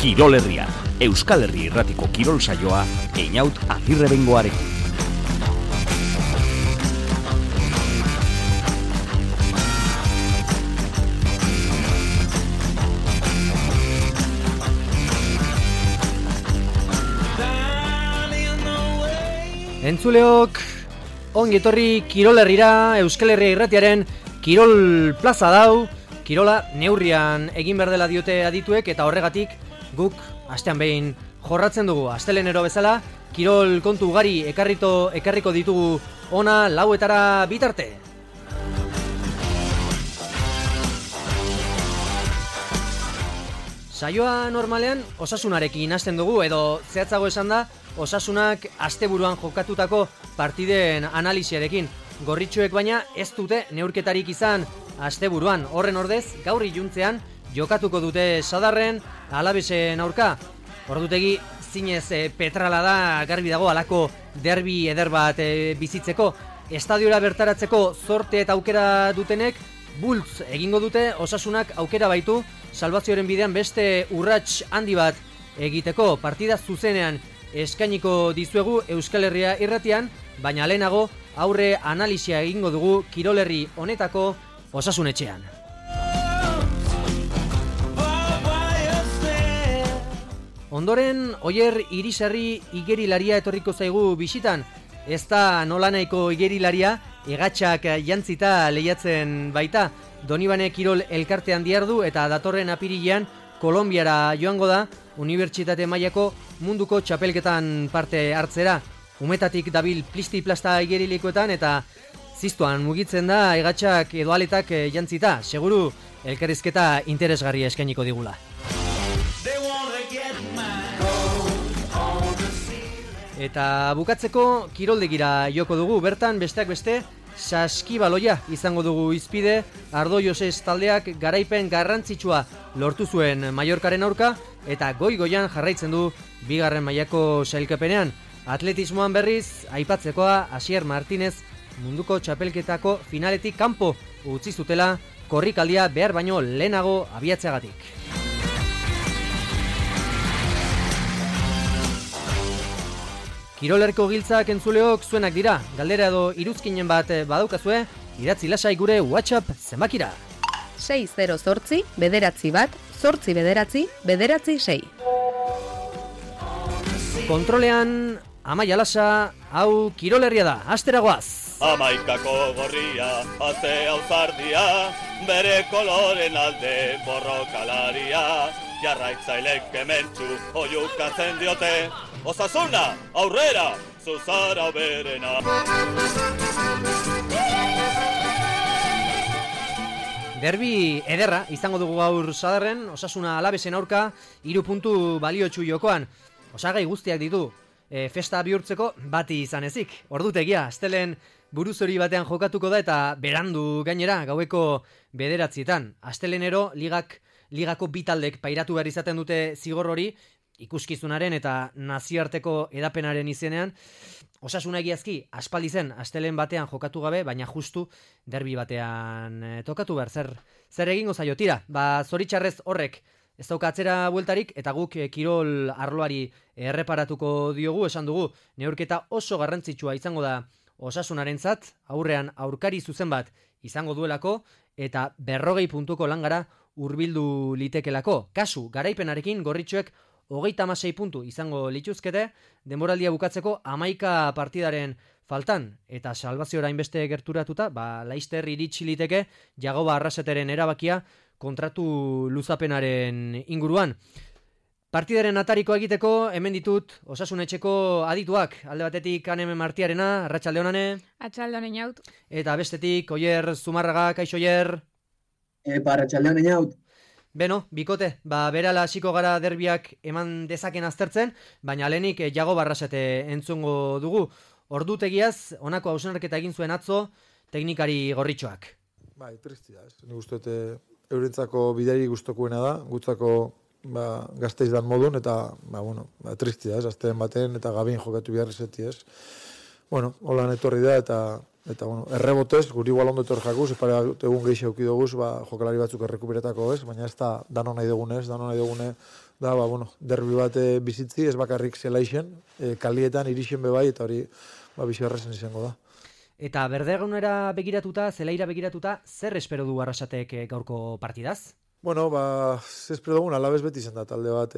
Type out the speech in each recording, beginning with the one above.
Kirol Herria, Euskal Herri Irratiko kirol saioa, Einaut Agirrebengoarekin. Entzuleok, ongi etorri Kirol Herrira, Euskal Herria Irratiaren Kirol Plaza dau, kirola neurrian egin behar dela diote adituek, eta horregatik guk astean behin jorratzen dugu. Astelenero bezala, kirol kontu ugari ekarriko ditugu ona lauetara bitarte. Saioa normalean osasunarekin hasten dugu, edo zehatzago esan da, osasunak asteburuan jokatutako partiden analisiarekin. Gorritxoek baina ez dute neurketarik izan asteburuan. Horren ordez, gaur iluntzean jokatuko dute Sadarren Alavesen aurka. Ordutegi zinez petrala da, garbi dago halako derbi eder bat bizitzeko. Estadiora bertaratzeko zorte eta aukera dutenek bultz egingo dute, osasunak aukera baitu salbazioaren bidean beste urrats handi bat egiteko. Partida zuzenean eskainiko dizuegu Euskal Herria Irratian, baina lehenago aurre analisia egingo dugu Kirol Herri honetako osasunetxean. Ondoren, Oier Irisarri igerilaria etorriko zaigu bisitan. Ez da nolanahiko igerilaria, egatxak jantzita lehiatzen baita. Donibane Kirol elkartean diardu eta datorren apirilean Kolonbiara joango da unibertsitate mailako munduko txapelketan parte hartzera. Umetatik dabil plisti-plasta igerilikoetan eta ziztuan mugitzen da egatxak edo aletak jantzita. Seguru elkarrizketa interesgarria eskainiko digula. Eta bukatzeko kiroldegira joko dugu. Bertan besteak beste saskibaloia izango dugu hizpide. Ardo Joses taldeak garaipen garrantzitsua lortu zuen Mallorcaren aurka eta goian jarraitzen du bigarren mailako sailkapenean. Atletismoan berriz aipatzekoa Asier Martinez munduko txapelketako finaletik kanpo utzi zutela korrikaldia behar baino lehenago abiatzeagatik. Kirolerko giltzak entzuleok zuenak dira. Galdera edo iruzkinen bat badaukazue, idatzi lasai gure WhatsApp zenbakira. 608 bederatzi bat, 8 bederatzi, bederatzi 6. Kontrolean, Amaia Lasa, hau Kirol Herria da, astera goaz. Amaikako gorria, aze auzardia, bere koloren alde borrokalaria, jarraitzailek kementsu oiukatzen diote, Osasuna, aurrera, zuzara berena. Derbi ederra izango dugu gaur Sadarren, Osasuna Alavesen aurka, 3 puntu baliotsu jokoan. Osagai guztiak ditu, festa bihurtzeko bati izan ezik. Ordutegia, astelen buruzori batean jokatuko da eta berandu gainera gaueko 9:00. Astelenero ligako bitaldek pairatu behar izaten dute zigor hori, ikuskizunaren eta nazioarteko edapenaren izenean. Osasuna egiazki aspaldi zen astelen batean jokatu gabe, baina justu derbi batean tokatu behar. Zer egingo zaio tira? Zoritxarrez horrek ez dauka atzera bueltarik eta guk kirol arloari erreparatuko diogu. Esan dugu, neurketa oso garrantzitsua izango da Osasunarentzat, aurrean aurkari zuzen bat izango duelako eta 40 puntuko langara hurbildu litekelako. Kasu, garaipenarekin gorritxoek 36 puntu izango lituzkete, denboraldia bukatzeko 11 partidaren faltan, eta salbazioa hainbeste gerturatuta, laister iritsi liteke Jagoba Arraseteren erabakia kontratu luzapenaren inguruan. Partidaren atariko egiteko, hemen ditut Osasunetxeko adituak. Alde batetik Aneme Martiarena, arratsalde honane. Arratsalde honen jaut. Eta bestetik Oier Zumarraga, kaixo Oier. Arratsalde honen jaut. Beno, bikote, berala hasiko gara derbiak eman dezaken aztertzen, baina lehenik Jagoba Arrasete entzungo dugu. Ordutegiaz, honako hausnarketa egin zuen atzo, teknikari gorritxoak. Tristia, ez. Nik uste eurentzako bideri gustokuena da, gutzako gazteiz dan modun, eta, tristia, ez, azten baten, eta gabin jokatu behar izeti, ez. Holan etorri da, eta Eta, bueno, errebotez, guri igual ondo etor jakuz, epare egun gehi auki duguz, jokalari batzuk errekuperetako ez, baina ez da dano nahi dugune, da, bueno, derbi bat bizitzi, ez bakarrik zelaixen, kalietan, irixen bebai, eta hori, bizi errezen izango da. Eta berdegunera begiratuta, zelaira begiratuta, zer espero du Arrasatek gaurko partidaz? Bueno, espero dugun Alabez beti izan da talde bat,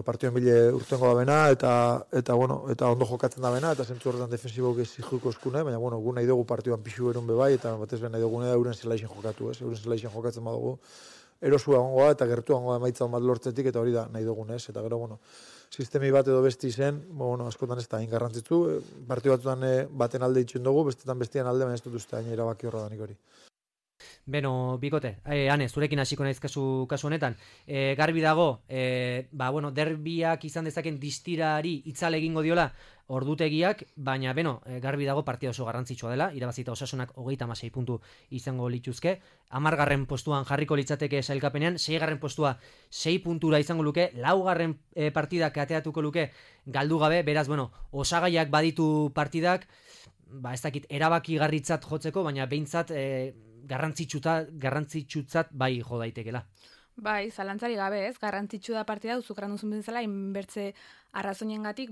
partioen bile urtengo da bena, eta ondo jokatzen da bena, eta zentzu horretan defensibok ez zijuko eskune, baina, gu nahi dugu partioan pixu erun bebai, eta batez ben nahi dugune da euren zelaixen jokatu, ez? Euren zelaixen jokatzen badugu, erosua gongoa eta gertuangoa emaitza on bat lortzetik, eta hori da nahi dugun, ez? Eta gero, sistemi bat edo besti zen, askotan ez da, garrantzitsu, partio batzutan baten alde itxuen dugu, bestetan bestian alde, baina ez dut uste hain erabaki horra danik hori. Beno, Bikote, Ane, zurekin hasiko naiz kasu honetan. Garbi dago, derbiak izan dezaken distirari itzale egingo diola ordutegiak, baina garbi dago partida oso garrantzitsua dela, irabazita Osasunak 36 puntu izango lituzke, 10. postuan jarriko litzateke sailkapenean, 6. postua 6 puntura izango luke, 4. partidak ateatuko luke galdu gabe, beraz, osagaiak baditu partidak, ez dakit, erabaki garritzat jotzeko, baina behintzat garrantzitsutzat bai jo daitekela. Bai, zalantzari gabe ez, garrantzitsu da partida, zukran duzun bezala, inbertze arrazoiengatik,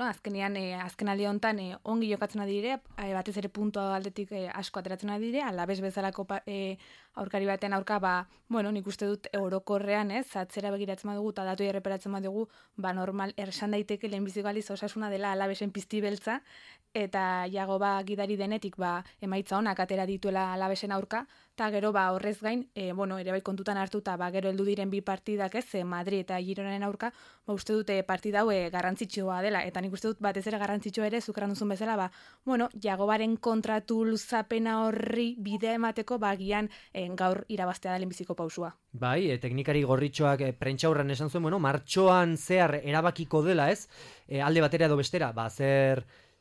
azkenean, azkenaldi honetan ongi jokatzen adire, batez ere puntua aldetik asko ateratzen adire, Alabez bezalako aurkari baten aurka, nik uste dut orokorrean ez, atzera begiratzen badugu, eta datu erreperatzen badugu, normal, ersan daiteke lehenbiziko aliz Osasuna dela Alabezen pizti beltza, eta Jagoba gidari denetik emaitza honak atera dituela Alabezen aurka, eta gero horrez gain, ere bai kontutan hartuta, gero heldu diren bi partidak ez, Madrid eta Gironaren aurka, uste dute partida hau garrantzitsua dela, eta nik uste dut batez ere garrantzitsua ere, zukran duzun bezala, Jagobaren kontratu luzapena horri bidea emateko, gian gaur irabaztea da lehenbiziko pausua. Bai, teknikari gorritxoak prentxaurran esan zuen, martxoan zehar erabakiko dela ez, alde batera edo bestera,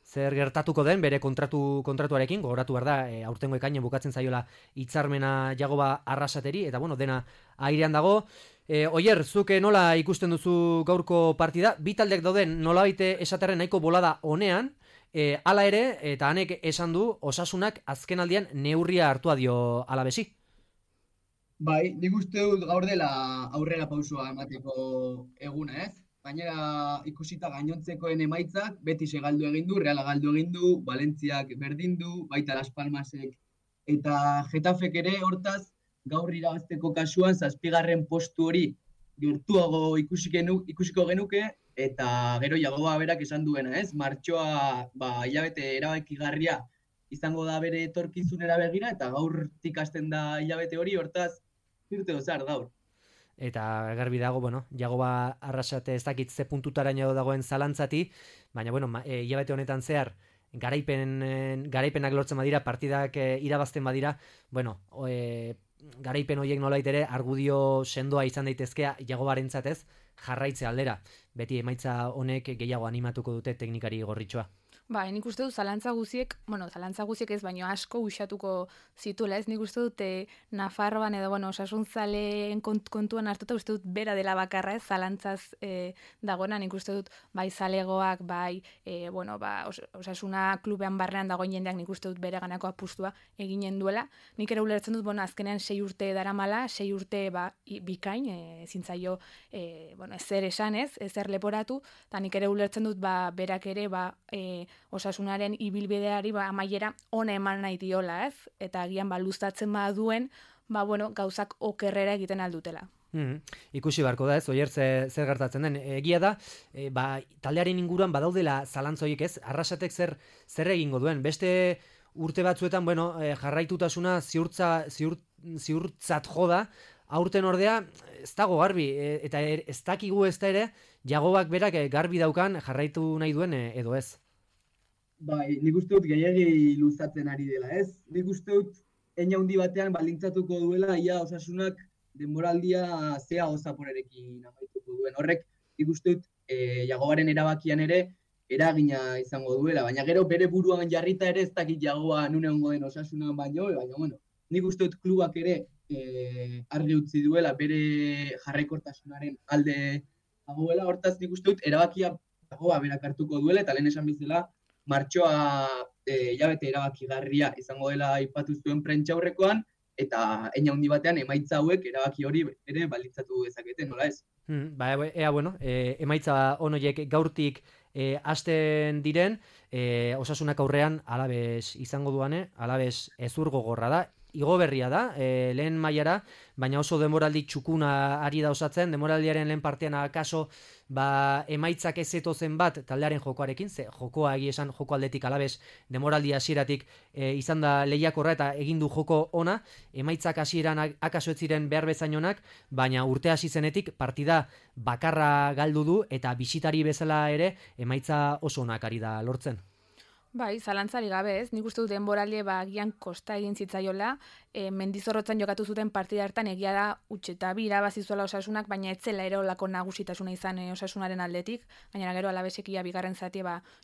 zer gertatuko den bere kontratuarekin, gogoratu behar da, aurtengo ekainan bukatzen zaiola hitzarmena Jagoba Arrasateri, eta dena airean dago. Oier, zuke nola ikusten duzu gaurko partida? Bi taldeak dauden nolabait esaterren nahiko bolada honean, hala ere, eta Anek esan du, Osasunak azkenaldian neurria hartua dio Alabesi. Bai, nik uste dut gaur dela aurrera pausua emateko eguna, ez? Gainera ikusita gainontzekoen emaitzak, Betis galdu egin du, Reala galdu egin du, Valentziak berdin du, baita Las Palmasek eta Getafek ere, hortaz, gaur irabazteko kasuan 7. postu hori gertuago ikusiko genuke, eta gero Jagoba berak esan duena, ez? Martxoa, hilabete erabakigarria izango da bere etorkizunera begira, eta gaurtik hasten da hilabete hori, hortaz, irte dozar gaur. Eta garbi dago, Jagoba Arrasate ez dakit ze puntutaraino dagoen zalantzati, baina, hilabete honetan zehar, garaipenak lortzen badira, partidak irabazten badira, garaipen horiek nolait ere, argudio sendoa izan daitezkea Jagobarentzat ez, jarraitze aldera. Beti emaitza honek gehiago animatuko dute teknikari gorritxoa. Nik uste dut zalantza guziek ez, baino asko uxatuko zituela, ez nik uste dut Nafarroan edo, Osasunzaleen kontuan hartuta uste dut bera dela bakarra, ez, zalantzaz dagoena, nik uste dut bai zalegoak, Osasuna klubean barrean dagoen jendeak nik uste dut bere ganako apustua eginen duela. Nik ere ulertzen dut, azkenean 6 urte daramala, 6 urte bikain, zintzaio, ezer esan ez, ezer leporatu, eta nik ere ulertzen dut, berak ere, Osasunaren ibilbideari amaiera ona eman nahi diola, ez? Eta agian luzatzen baduen, gauzak okerrera egiten aldutela. Ikusi beharko da ez, Oier zer gertatzen den. Egia da, taldearen inguruan badaudela zalantzoiek ez, Arrasatek zer egingo duen. Beste urte batzuetan, jarraitutasuna ziurtzat joda, aurten ordea, ez dago garbi, eta ez dakigu ez da ere, Jagobak berak garbi daukan jarraitu nahi duen edo ez. Bai, nik uste dut gehiagi luzatzen ari dela, ez? Nik uste dut handi batean baldintzatuko duela ia Osasunak denboraldia zea Zaporerekin amaituko duen. Horrek nik uste dut Jagobaren erabakian ere eragina izango duela, baina gero bere buruan jarrita ere ez dakit Jagoba nune ongo den Osasunan baino, baina nik uste dut klubak ere argi utzi duela bere jarraikortasunaren alde dagoela, hortaz nik uste dut erabakia Jagoba berak hartuko duela, eta lehen esan bezala martxoa hilabete erabakigarria izango dela aipatu zuen prentsaurrekoan, eta hein handi batean emaitza hauek erabaki hori ere balitzatu dezakete, nola ez? Emaitza onoiek gaurtik hasten diren, Osasunak aurrean Alabes izango duane, Alabes ezur gogorra da, igo berria da, lehen mailara, baina oso denboraldi txukuna ari da osatzen, denboraldiaren lehen partean akaso emaitzak ez zetozen bat taldearen jokoarekin, ze jokoa egia esan joko aldetik Alabes denboraldi hasieratik izan da lehiakorra eta egin du joko ona, emaitzak hasieran akaso ez ziren behar bezain onak, baina urte hasi zenetik partida bakarra galdu du eta bisitari bezala ere emaitza oso onak ari da lortzen. Bai, zalantzari gabe ez, nik uste dut denboraldi agian kosta egin zitzaiola, Mendizorrotzan jokatu zuten partida hartan egia da utxeta bi irabazi zuela Osasunak, baina ez zela ere olako nagusitasuna izan Osasunaren aldetik, gainera gero Alabesek ia bigarren zati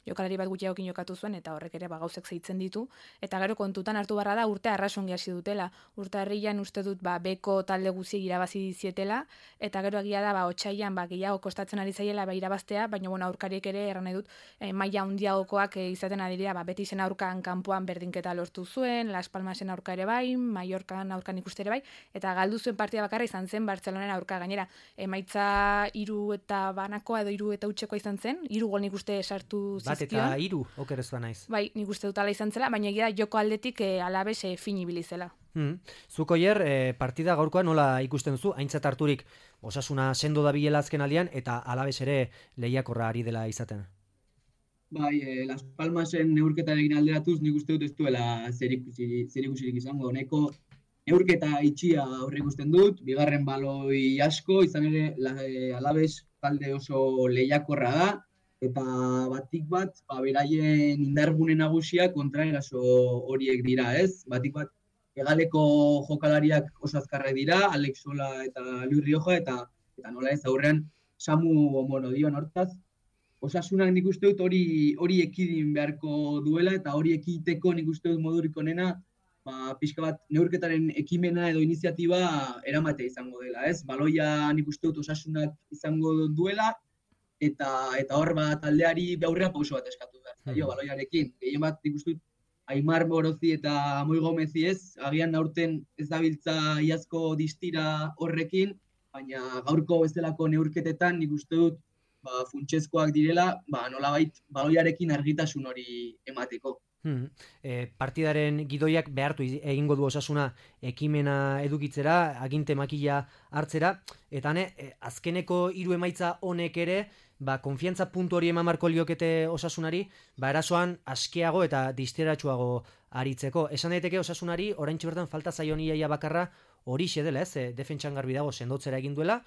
jokalari bat gutxiagokin jokatu zuen, eta horrek ere gauzek zeitzen ditu, eta gero kontutan hartu barra da urte arrasongi hasi dutela, urte harrian uste dut beko talde guziek irabazi zietela, eta gero egia da otsailean gehiago kostatzen ari zaiela irabaztea, baina aurkariek ere erran nahi dut maila handiagokoak izaten ari dira, Betizen aurkan kanpoan berdinketa lortu zuen, Las Palmasen aurka ere bai, Mallorcan aurkan ikuste ere bai, eta galdu zuen partida bakarra izan zen Bartzelonen aurka, gainera emaitza 3 eta banakoa edo 3 eta utxekoa izan zen, 3 gol nik uste sartu zizkion. Bat eta 3, oker ez naiz. Bai, nik uste dut ala izan zela, baina egia joko aldetik Alabes fin ibili zela. Zuko partida gaurkoa nola ikusten duzu, aintzat harturik Osasuna sendo dabilela azken aldian, eta Alabes ere lehiakorra ari dela izaten. Bai, Las Palmasen neurketarekin alderatuz nik uste dut ez duela zerikusirik izango. Honeko neurketa itxia aurreikusten dut, bigarren baloi asko, izan ere Alabes talde oso lehiakorra da, eta batik bat, beraien indargune nagusiak kontraeraso horiek dira, ez? Batik bat, hegaleko jokalariak oso azkarrak dira, Alex Sola eta Luis Rioja, eta nola ez aurrean Samu Monodion hortaz. Osasunak nik uste dut hori ekidin beharko duela, eta hori ekiteko nik uste dut modurik onena, pixka bat neurketaren ekimena edo iniziatiba eramatea izango dela, ez? Baloia nik uste dut Osasunak izango duela, eta hor taldeari aurrera pauso bat eskatu behar. Baloiarekin, gehien bat nik uste dut Aimar Morozi eta Moi Gomezi ez, agian aurten ez dabiltza iazko distira horrekin, baina gaurko bezalako neurketetan nik uste dut funtsezkoak direla, nolabait baloiarekin argitasun hori emateko. Partidaren gidoiak behartu egingo du Osasuna ekimena edukitzera, aginte makila hartzera, eta azkeneko 3 emaitza honek ere, konfiantza puntu hori eman marko liokete Osasunari, erasoan askeago eta disteratsuago aritzeko. Esan daiteke Osasunari, oraintxe bertan falta zaion iaia bakarra hori dela, ez? Defentsan garbi dago sendotzera egin duela,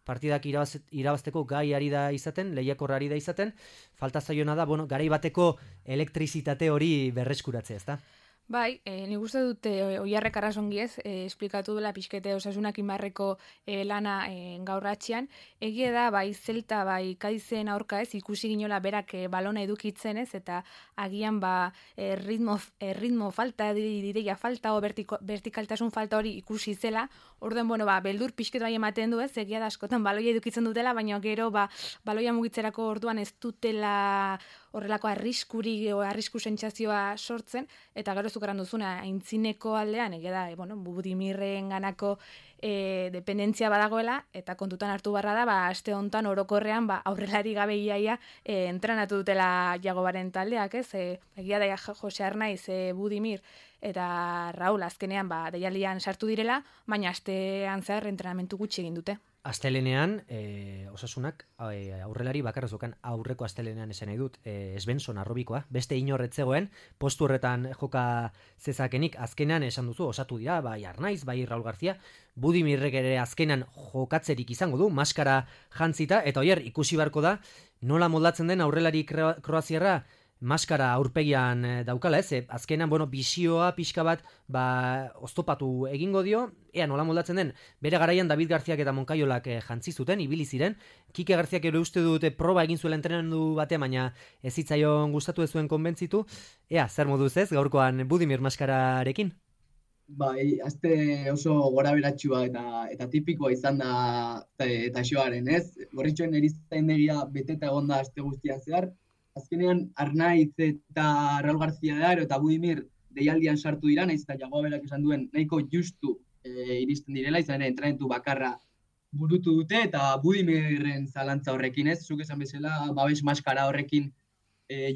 partidak irabazteko gai ari da izaten, lehiakorra ari da izaten, falta zaiona da, garai bateko elektrizitate hori berreskuratzea, ezta? Bai, nik uste dute Oiarrek arrazongi ez, esplikatu dela pixkete Osasunak inbarreko lana gaur atxian. Egie da, bai Zelta, bai Kadizen aurka ez, ikusi ginola berak balona edukitzen ez, eta agian ritmo falta, dideia falta, o vertikaltasun falta hori ikusi zela. Orduan, beldur pixket bai ematen du ez, egia da askotan baloia edukitzen dutela, baina gero baloia mugitzerako orduan ez dutela horrelako arrisku sentsazioa sortzen, eta gero zukaran duzuna aintzineko aldean, egia da, Budimirren ganako dependentzia badagoela, eta kontutan hartu barra da, aste hontan orokorrean aurrelari gabe iaia entrenatu dutela Jagobaren taldeak, ez? Egia da Jose Arnaiz, Budimir eta Raul azkenean deialdian sartu direla, baina astean zehar entrenamentu gutxi egin dute. Astelenean, Osasunak aurrelari bakarra zukan aurreko astelenean esan nahi dut, Svensson arrobikoa, beste inorretzegoen, postu horretan joka zezakenik, azkenean esan duzu, osatu dira, bai Arnaiz, bai Raul García, Budimirrek ere azkenan jokatzerik izango du, maskara jantzita, eta oier, ikusi barko da, nola moldatzen den aurrelari kroaziarra, maskara aurpegian daukala, ez? Azkenan, bisioa pixka bat oztopatu egingo dio, ea nola moldatzen den, bere garaian David Garziak eta Moncayolak jantzi zuten, ibili ziren, Kike Garziak ere uste dute proba egin zuela entrenamendu batean, baina ez zitzaion gustatu ez zuen konbentzitu, ea, zer moduz ez, gaurkoan Budimir maskararekin? Bai, azte oso gora beratxua eta tipikoa izan da eta xoaren, ez? Gorritxoen erizaindegia beteta egon da aste guztian zehar, azkenean Arnaiz eta Raul García de Aro eta Budimir deialdian sartu dira, naiz eta Jagoa berak esan duen nahiko justu iristen direla, izan ere entrenamentu bakarra burutu dute, eta Budimirren zalantza horrekin ez, zuk esan bezala, babes maskara horrekin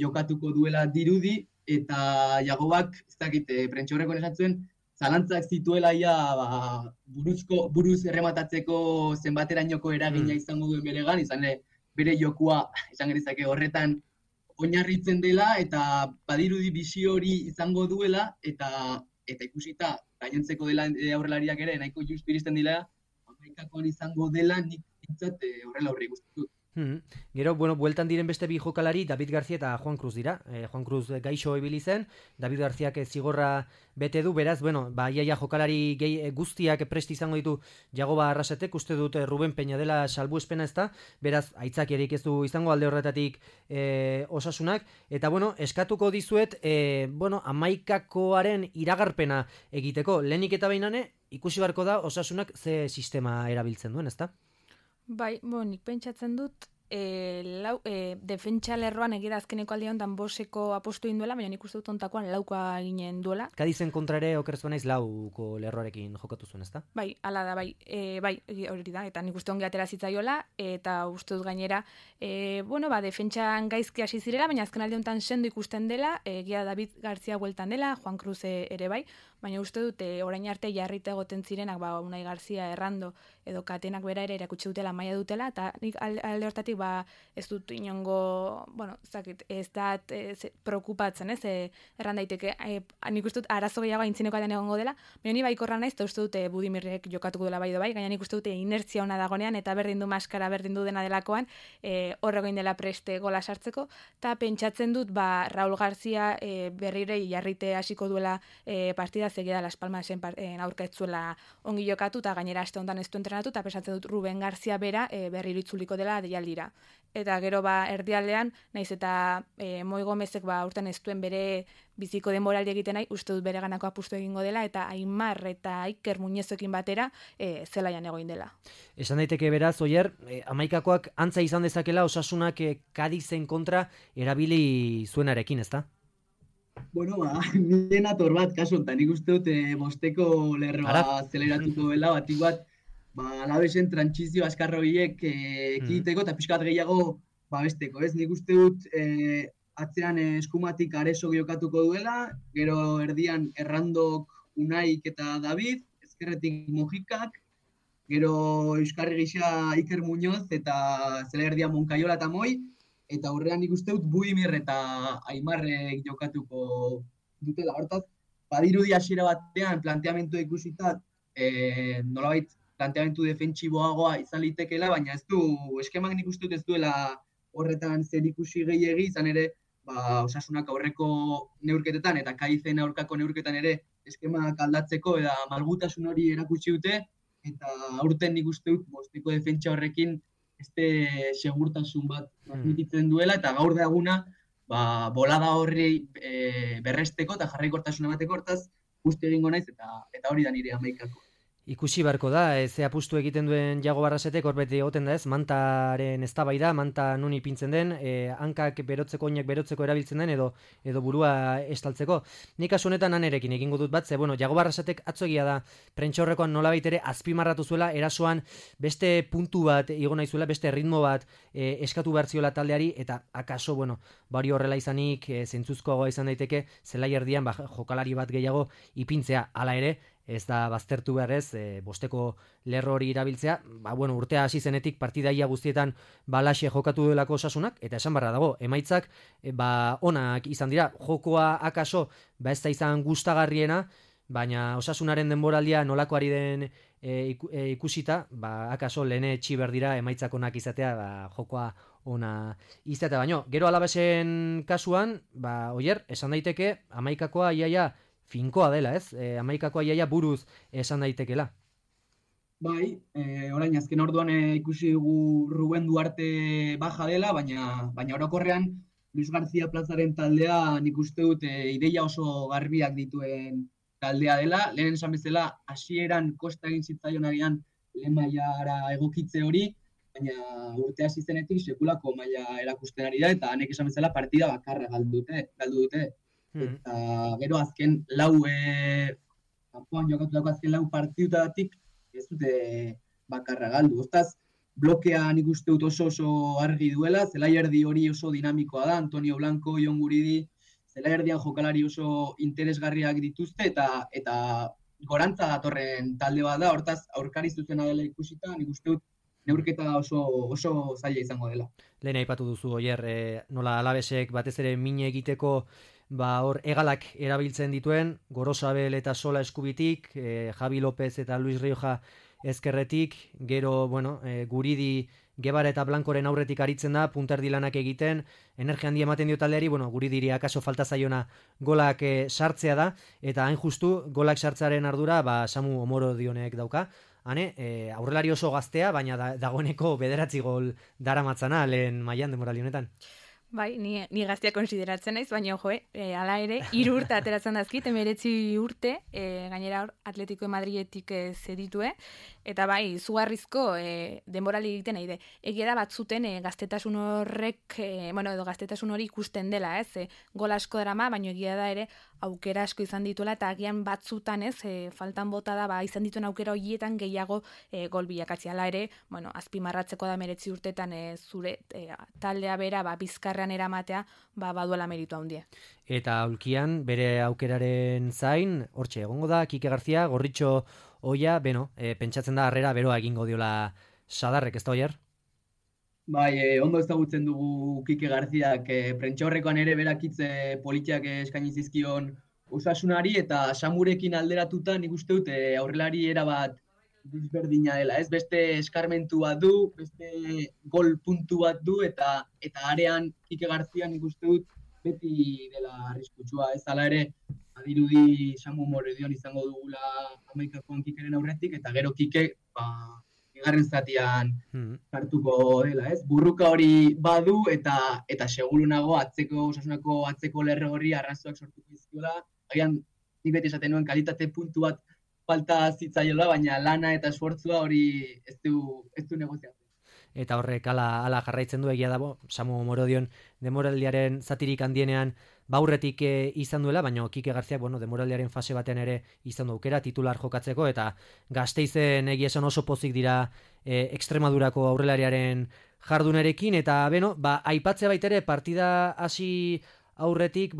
jokatuko duela dirudi, eta Jagobak, ez dakit, prentxaurrekoan esan zuen, zalantzak zituela ia buruz errematatzeko zenbaterainoko eragina izango duen beregan, izan ere bere jokua, esan gerizake horretan, oinarritzen dela, eta badirudi bizio hori izango duela, eta ikusita, gainontzeko dela aurrelariak ere, nahiko justu iristen dira, Amaikakoan izango dela, nik pintzat horrela horri guztitut. Gero, bueltan diren beste bi jokalari, David García eta Juan Cruz dira. Juan Cruz gaixo ibili zen, David Garziak zigorra bete du, beraz, iaia jokalari guztiak prest izango ditu Jagoba Arrasatek, uste dut Ruben Peña dela salbuespena ez da, beraz, aitzakiarik ez du izango alde horretatik Osasunak, eta eskatuko dizuet, Amaikakoaren iragarpena egiteko, lehenik eta behinane, ikusi barko da Osasunak ze sistema erabiltzen duen, ezta? Bai, nik pentsatzen dut, defentsa lerroan egira azkeneko aldi honetan boseko apostu induela, baina nik uste dut ontakoan laukoa ginen duela. Kadizen kontra ere okerrez banaiz lauko lerroarekin jokatu zuen, ezta? Bai, ala da, bai, hori da, eta nik uste ongi atera zitzaiola, eta uste dut gainera, defentsan gaizki hasi zirela, baina azken aldi honetan sendo ikusten dela, egia David García bueltan dela, Juan Cruz ere bai, baina uste dut orain arte jarrita egoten zirenak, Unai García, Errando, edo Katenak bera ere erakutsi dutela, maila dutela, eta nik alde hortatik ez dut inongo, ez da preokupatzen, ez, erran daiteke, nik uste dut arazo gehiago aintzineko aldean egongo dela, baina ni baiko naiz, eta uste dute Budimirrek jokatuko dela bai, gaina nik uste dute inertzia ona dagonean, eta berdin du maskara, berdin du dena delakoan, horregoin dela preste gola sartzeko, eta pentsatzen dut, Raul García berrire jarrite hasiko duela partida zegida Las Palmasen aurka ez zuela ongi jokatu, eta gainera aste honetan ez du entrenatu, eta pentsatzen dut Ruben García bera berriro itzuliko dela deialdira. Eta gero erdialdean, naiz eta Moi Gomezek urten ez duen bere biziko denboraldi egiten nahi, uste dut bere ganako apustu egingo dela, eta Aimar eta Iker Muñezoekin batera zelaian egoin dela. Esan daiteke beraz, Oier, Amaikakoak antza izan dezakela Osasunak Kadizen kontra erabili zuenarekin, ezta? Nien ator bat, kasu enten, nik uste dut bosteko lerroa zeleratuko dela, batik bat, Alavesen trantsizio askarroiek ekiteko eta pixkat gehiago babesteko, ez? Nik uste dut atzean eskumatik Areso jokatuko duela, gero erdian Errandok, Unaik eta David, ezkerretik Mojikak, gero Euskarri gisa Iker Muñoz eta zela erdian Monkaiola eta Moi, eta horrean nik uste dut Budimir eta Aimarrek jokatuko dutela. Hortaz, badirudi hasiera batean planteamendu ikusita nolabait planteamendu defentsiboagoa izan litekeela, baina ez du, eskemak nik uste dut ez duela horretan zer ikusi gehiegi, izan ere, Osasunak aurreko neurketetan eta Kaizen aurkako neurketan ere eskemak aldatzeko eta malgutasun hori erakutsi dute, eta aurten nik uste dut bosteko defentsa horrekin este segurtasun bat transmititzen duela, eta gaur da eguna bolada horri berresteko eta jarraikortasuna emateko, hortaz guzti egingo naiz eta hori da nire Amaikako. Ikusi barko da, ze apustu egiten duen Jago Barrasetek, hor beti egoten da ez, mantaren eztabaida, manta nun ipintzen den, hankak berotzeko, oinak berotzeko erabiltzen den, edo burua estaltzeko. Nik kasu honetan anerekin egingo dut bat, ze, Jago Barrasetek atzoegia da, prentxaurrekoan nolabait ere azpimarratu zuela, erasoan beste puntu bat igo nahi zuela, beste ritmo bat eskatu behar ziola taldeari, eta akaso, hori horrela izanik, zentzuzkoagoa izan daiteke, zelai erdian, jokalari bat gehiago ipintzea, hala ere, ez da baztertu beharrez, bosteko lerro hori irabiltzea, urtea hasi zenetik partidaia guztietan balaxe jokatu duelako Osasunak, eta esan barra dago, emaitzak onak izan dira, jokoa akaso, ez da izan gustagarriena, baina Osasunaren denboraldia nolakoari den ikusita, akaso lehene txiber dira emaitzak onak izatea, jokoa ona izatea, baino, gero Alavesen kasuan, Oier, esan daiteke, Amaikakoa iaia finkoa dela, ez? Amaikakoa iaia buruz esan daitekela. Bai, orain azken orduan ikusi dugu Ruben Duarte baja dela, baina orokorrean Luis García Plazaren taldea nik uste dut ideia oso garbiak dituen taldea dela. Lehen esan bezala, hasieran kosta egin zitzaion agian lehen mailara egokitze hori, baina urte hasi zenetik sekulako maila erakusten ari da, eta hanek esan bezala partida bakarra galdu dute. Eta gero azken kanpoan jokatutako azken 4 partidutatik ez dute bakarra galdu. Ostaz, blokea nik uste dut oso argi duela, zelai erdi hori oso dinamikoa da, Antonio Blanco, Jon Guridi, zelai erdian jokalari oso interesgarriak dituzte, eta gorantza datorren talde bat da, hortaz aurkari zuzena dela ikusita, nik uste dut neurketa oso zaila izango dela. Lehen aipatu duzu, Oier, nola Alavesek batez ere mine egiteko hor egalak erabiltzen dituen, Gorosabel eta Sola eskubitik, Javi López eta Luis Rioja ezkerretik, gero, Guridi, Gebara eta Blankoren aurretik aritzen da, punterdi lanak egiten, energia handi ematen dio taldeari, Guridiri akaso falta zaiona golak sartzea da, eta hain justu golak sartzearen ardura, Samu Omorodionek dauka. Hane, aurrelari oso gaztea, baina dagoeneko 9 gol daramatzana lehen mailan denboraldi honetan. Bai, ni gaztea konsideratzen naiz, baina hala ere, 3 urte ateratzen dazkit, 19 urte, gainera hor Atletico de Madridetik zeditue, eta bai, izugarrizko denboraldi egiten nahi de. Egia da batzuten gaztetasun horrek, edo gaztetasun hori ikusten dela, gol asko darama, baina egia da ere aukera asko izan dituela, eta agian batzutan faltan bota da, izan dituen aukera horietan gehiago gol bilakatzea. Hala ere, azpimarratzeko da 19 urtetan zure taldea bera, bizkarrean eramatea, baduela meritu handia. Eta aulkian, bere aukeraren zain, hortxe egongo da, Kike Garzia, Gorritxo Oia, pentsatzen da harrera beroa egingo diola Sadarrek, ez da, Oier? Bai, ondo ezagutzen dugu Kike Garziak, prentxaurrekoan ere berakitze politiak eskaini zizkion Osasunari, eta Samurekin alderatuta nik uste dut aurrelari erabat desberdina dela, ez? Beste eskarmentu bat du, beste gol puntu bat du, eta arean Kike Garzia nik uste dut beti dela arriskutsua, ez? Hala ere, adirudi Samu Omorodion izango dugula Amaikakoan Kikeren aurretik, eta gero Kike, bigarren zatian hartuko dela, ez? Burruka hori badu, eta seguru nago Osasunako atzeko lerro hori arrazoak sortuko dizkiola. Agian, nik beti esaten nuen kalitate puntu bat falta zitzaiola, baina lana eta esfortzua hori ez du negoziatzen. Eta horrek ala jarraitzen du, egia dago, Samu Omorodion demoraldiaren zatirik handienean baurretik izan duela, baina Kike Garziak demoraldiaren fase batean ere izan du aukera titular jokatzeko, eta Gasteizen egia esan oso pozik dira Extremadurako aurrelariaren jardunerekin, eta aipatzea baitere partida hasi aurretik,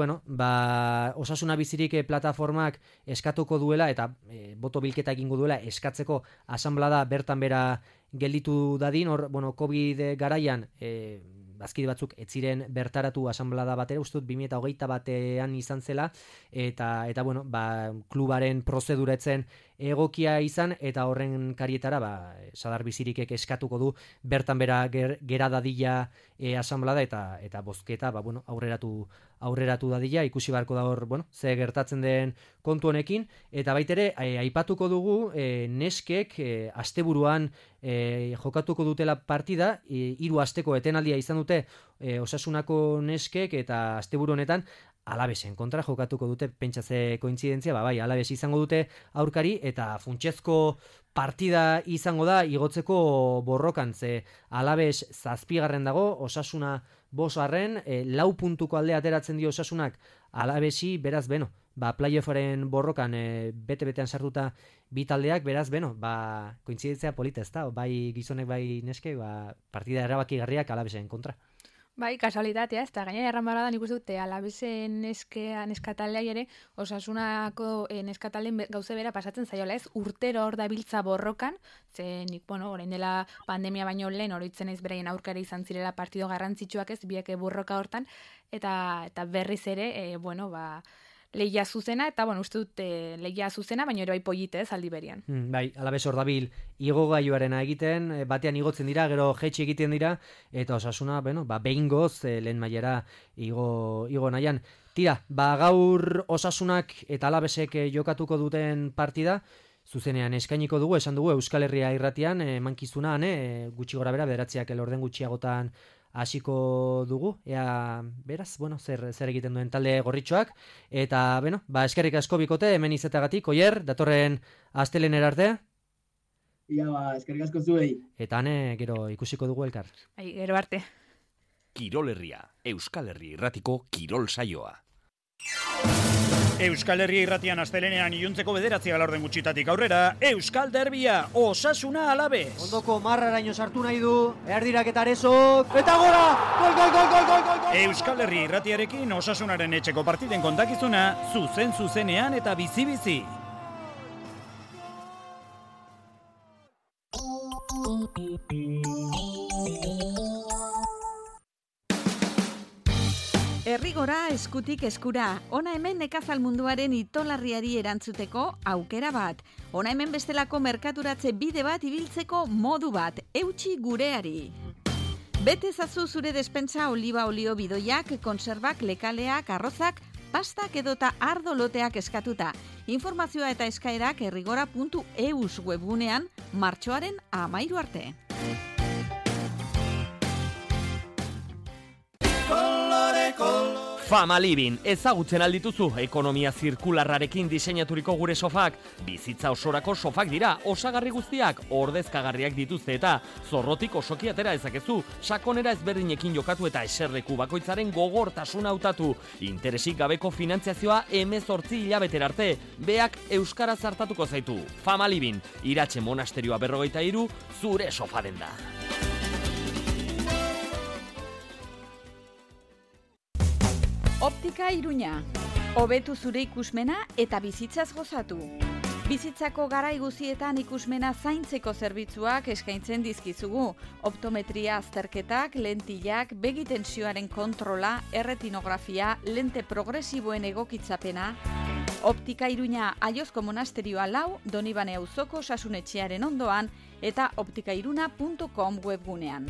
Osasuna Bizirik plataformak eskatuko duela eta boto bilketa egingo duela eskatzeko asanblada bertan bera gelditu dadin, hor, COVID garaian bazkide batzuk ez ziren bertaratu asanblada batera, uste dut 2021an izan zela, eta klubaren prozedura etzen egokia izan, eta horren karietara Sadar Bizirikek eskatuko du bertan bera gera dadila asanblada, eta bozketa aurreratu dadila, ikusi beharko da hor, ze gertatzen den kontu honekin, eta baitere aipatuko dugu neskek asteburuan jokatuko dutela partida, 3 asteko etenaldia izan dute Osasunako neskek, eta asteburu honetan Alavesen kontra jokatuko dute, pentsatze kointzidentzia, Alaves izango dute aurkari, eta funtsezko partida izango da igotzeko borrokan, ze Alaves 7. dago, Osasuna 5. 4 puntuko aldea ateratzen dio Osasunak Alavesi, beraz, playoffaren borrokan bete-betean sartuta bi taldeak, beraz, kointzidentzia polita, ez da, bai gizonek, bai neske, partida erabakigarriak Alavesen kontra. Bai, kasualitatea, ez da, gainera erranbara da nik uste dute Alavesen neskataldeai ere, Osasunako neskatalden gauze bera pasatzen zaiola, ez? Urtero hor dabiltza borrokan, ze nik, orain dela pandemia baino lehen oroitzen ez beraien aurkara izan zirela partido garrantzitsuak, ez, biak borroka hortan, eta berriz ere, lehia zuzena, eta uste dut lehia zuzena, baina ere bai polite, ez, aldi berian. Bai, Alaves hor dabil igogailuarena egiten, batean igotzen dira, gero jetxi egiten dira, eta Osasuna, behingoz lehen mailara igo nahian. Tira, gaur Osasunak eta Alavesek jokatuko duten partida, zuzenean eskainiko dugu, esan dugu Euskal Herria irratian, mankizuna, gutxi gora bera, 9 elorden gutxiagotan hasiko dugu, ea, beraz, zer egiten duen talde Gorritxoak, eta, eskerrik asko bikote, hemen izetagatik, Oier, datorren astelehenera arte. Ia eskerrik asko zuei. Eta hane gero ikusiko dugu elkar. Gero arte. Kirol Herria, Euskal Herri Irratiko kirol saioa. Euskal Herria Irratian astelenean iluntzeko 9 laurden gutxitatik aurrera, Euskal Derbia, Osasuna Alaves. Ondoko marraraino sartu nahi du, erdirak eta arezok, eta gora! Gol! Euskal Herria Irratiarekin Osasunaren etxeko partiden kontakizuna, zuzenean eta bizi-bizi. Herrigora eskutik eskura, ona hemen nekazal munduaren itolarriari erantzuteko aukera bat. Ona hemen bestelako merkaturatze bide bat ibiltzeko modu bat, eutsi gureari. Bete ezazu zure despentsa oliba olio bidoiak, konserbak, lekaleak, arrozak, pastak edota ardo loteak eskatuta. Informazioa eta eskaerak herrigora.eus webgunean martxoaren 13 arte. Fama Living, ezagutzen aldituzu ekonomia zirkularrarekin diseinaturiko gure sofak. Bizitza osorako sofak dira, osagarri guztiak, ordezkagarriak dituzte eta zorrotik osoki atera ezakezu, sakonera ezberdinekin jokatu eta eserleku bakoitzaren gogortasuna hautatu. Interesik gabeko finantziazioa 18 hilabetera arte, beak euskaraz hartatuko zaitu. Fama Living, Iratxe Monasterioa 43, zure sofa denda. Optika Iruña. Hobetu zure ikusmena eta bizitzaz gozatu. Bizitzako garai guztietan ikusmena zaintzeko zerbitzuak eskaintzen dizkizugu. Optometria azterketak, lentillak, begi tensioaren kontrola, erretinografia, lente progresiboen egokitzapena. Optika Iruña Aiozko Monasterioa 4, Donibane auzoko Osasunetxearen ondoan eta optikairuna.com webgunean.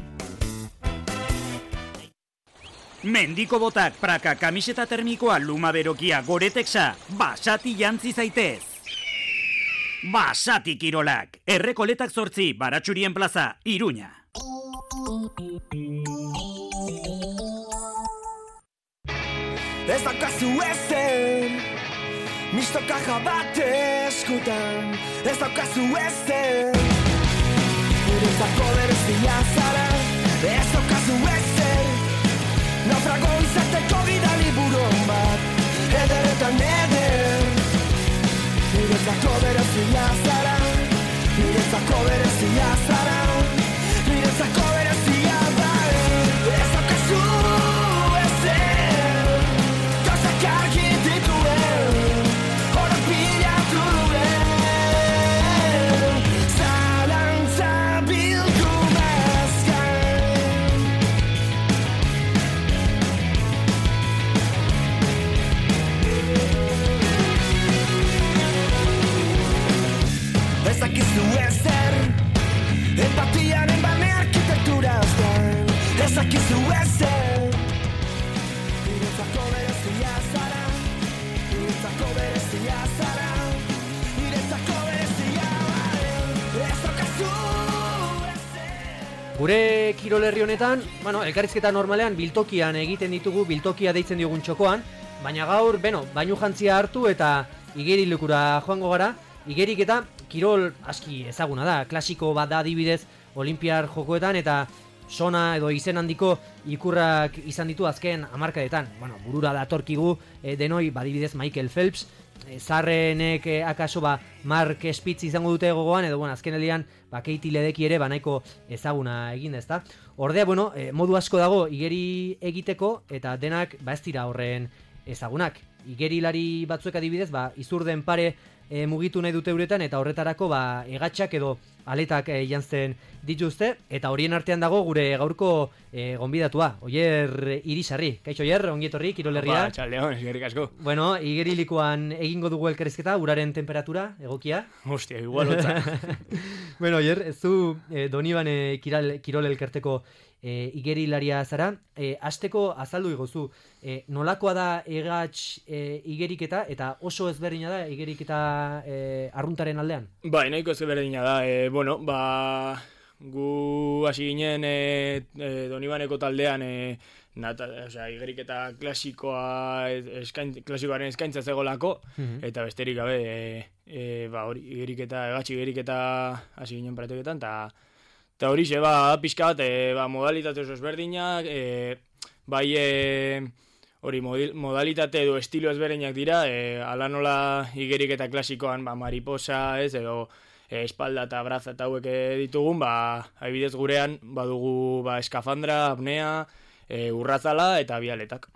Mendiko botak, praka, kamiseta termikoa, luma berokia, goretexa, basati jantzi zaitez. Basati kirolak, Errekoletak 8, Baratxurien plaza, Iruña. Ez daukazu ezen, misto kaja bat eskutan. Ez daukazu ezen, guretzako berezia zara. Ez daukazu ezen, naufrago izateko bidali buron bat, ederretan eder. Niretzako berezia zara, niretzako berezia zara, niretzako berezia bai. Ez daukazu ezer, gauzak argi dituen, horak bilatu duen, zalantza bildu bazkain. Ez dakizu ezer, empatiaren bane arkitekturaz gain. Ez dakizu ezer, niretzako berezia zara, niretzako berezia zara, niretzako berezia bai. Ez daukazu ezer. Gure kirol herri honetan, elkarrizketa normalean biltokian egiten ditugu, biltokia deitzen diogun txokoan, baina gaur, bainu jantzia hartu eta igerilekura joango gara. Igerik eta kirol aski ezaguna da, klasiko bat da adibidez Olimpiar jokoetan eta sona edo izen handiko ikurrak izan ditu azken hamarkadetan. Burura datorkigu denoi, badibidez Michael Phelps, zarrenek akaso Mark Spitz izango dute gogoan, edo azken aldian Katie Ledecky ere nahiko ezaguna egin ezta. Ordea, modu asko dago igeri egiteko eta denak ez dira horren ezagunak. Igerilari batzuek adibidez, izurden pare mugitu nahi dute uretan eta horretarako egatxak edo aletak jantzen dituzte eta horien artean dago gure gaurko gonbidatua, Oier Irisarri. Kaixo Oier, ongietorri Kirol Herria. Txaldeon, eskerrik asko. Igerilikoan egingo dugu elkarrizketa, uraren temperatura egokia. Hostia, igual hotza. Oier, ez du Donibane Kirol elkarteko igerilaria zara. Hasteko azaldu iguzu, nolakoa da egatx igeriketa eta oso ezberdina da igeriketa arruntaren aldean? Nahiko ezberdina da. Gu hasi ginen Donibaneko taldean igeriketa klasikoaren eskaintza zegolako, eta besterik gabe, hori, igeriketa hasi ginen praktiketan, eta hori pixka bat, modalitate oso ezberdinak, hori modalitate edo estilo ezberdinak dira, ala nola igeriketa klasikoan, mariposa, edo espalda eta braza eta hauek ditugun, adibidez gurean, badugu eskafandra, apnea, urrazala eta bialetak.